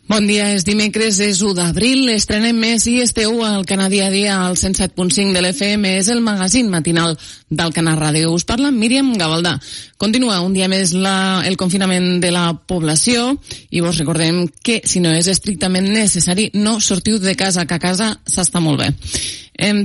Bon dia, és dimecres, és 1 d'abril, estrenem més i esteu al Canà Dia a Dia, al 107.5 de l'FM, és el magazín matinal del Canà Ràdio. Us parla Míriam Gavaldà. Continua un dia més el confinament de la població i vos recordem que si no és estrictament necessari no sortiu de casa, que a casa s'està molt bé.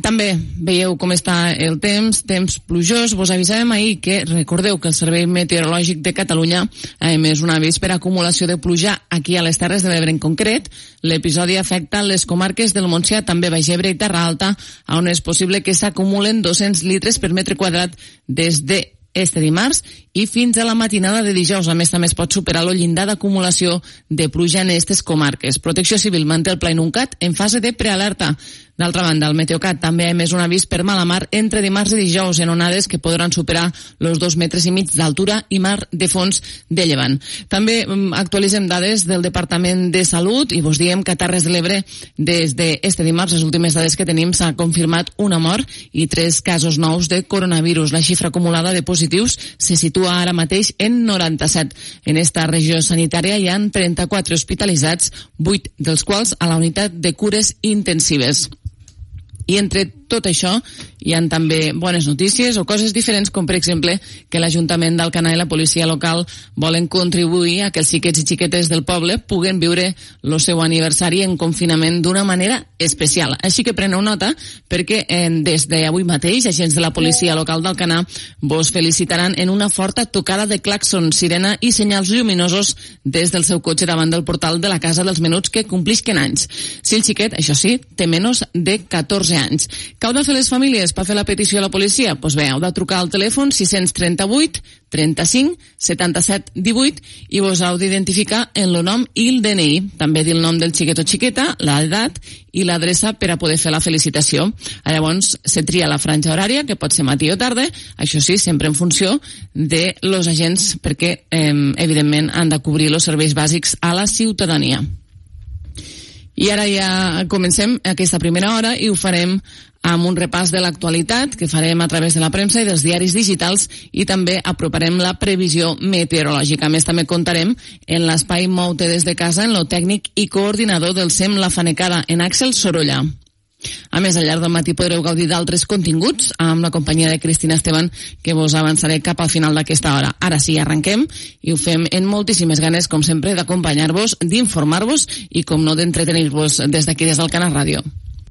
També veieu com està el temps plujós. Vos avisàvem ahir que recordeu que el Servei Meteorològic de Catalunya ha emès un avís per acumulació de pluja aquí a les Terres de l'Ebre en concret. L'episodi afecta les comarques del Montsià, també Baix Ebre i Terra Alta, on és possible que s'acumulen 200 litres per metre quadrat des de este dimarts i fins a la matinada de dijous. A més, també es pot superar el llindar d'acumulació de pluja en aquestes comarques. Protecció Civil manté el Pla Inuncat en fase de prealerta. D'altra banda, el Meteocat també ha emès un avís per mala mar entre dimarts i dijous en onades que podran superar els 2,5 metres d'altura i mar de fons de llevant. També actualitzem dades del Departament de Salut i vos diem que a Terres de l'Ebre des d'este dimarts, les últimes dades que tenim, s'ha confirmat una mort i 3 casos nous de coronavirus. La xifra acumulada de positius se situa ara mateix en 97. En esta regió sanitària hi ha 34 hospitalitzats, 8 dels quals a la unitat de cures intensives. I entre tot això hi ha també bones notícies o coses diferents, com per exemple que l'Ajuntament d'Alcanar i la policia local volen contribuir a que els xiquets i xiquetes del poble puguen viure el seu aniversari en confinament d'una manera especial. Així que preneu nota perquè des d'avui mateix agents de la policia local d'Alcanar vos felicitaran en una forta tocada de clàxon, sirena i senyals lluminosos des del seu cotxe davant del portal de la Casa dels Menuts que complisquen anys. Si el xiquet, això sí, té menys de 14 anys. Què heu de fer les famílies per fer la petició a la policia? Doncs bé, heu de trucar al telèfon 638 35 77 18 i vos heu d'identificar en el nom i el DNI. També dir el nom del xiquet o xiqueta, l'edat i l'adreça per a poder fer la felicitació. Llavors se tria la franja horària, que pot ser matí o tarda, això sí, sempre en funció de los agents, perquè evidentment han de cobrir els serveis bàsics a la ciutadania. I ara ja comencem aquesta primera hora i ho farem amb un repàs de l'actualitat que farem a través de la premsa i dels diaris digitals i també aproparem la previsió meteorològica. A més, també contarem en l'espai Mou-te des de casa en lo tècnic i coordinador del SEM La Fanecada, en Àxel Sorolla. A més, al llarg del matí podreu gaudir d'altres continguts amb la companyia de Cristina Esteban, que vos avançaré cap al final d'aquesta hora. Ara sí, arrenquem i ho fem en moltíssimes ganes, com sempre, d'acompanyar-vos, d'informar-vos i, com no, d'entretenir-vos des d'aquí, des del Canà Ràdio.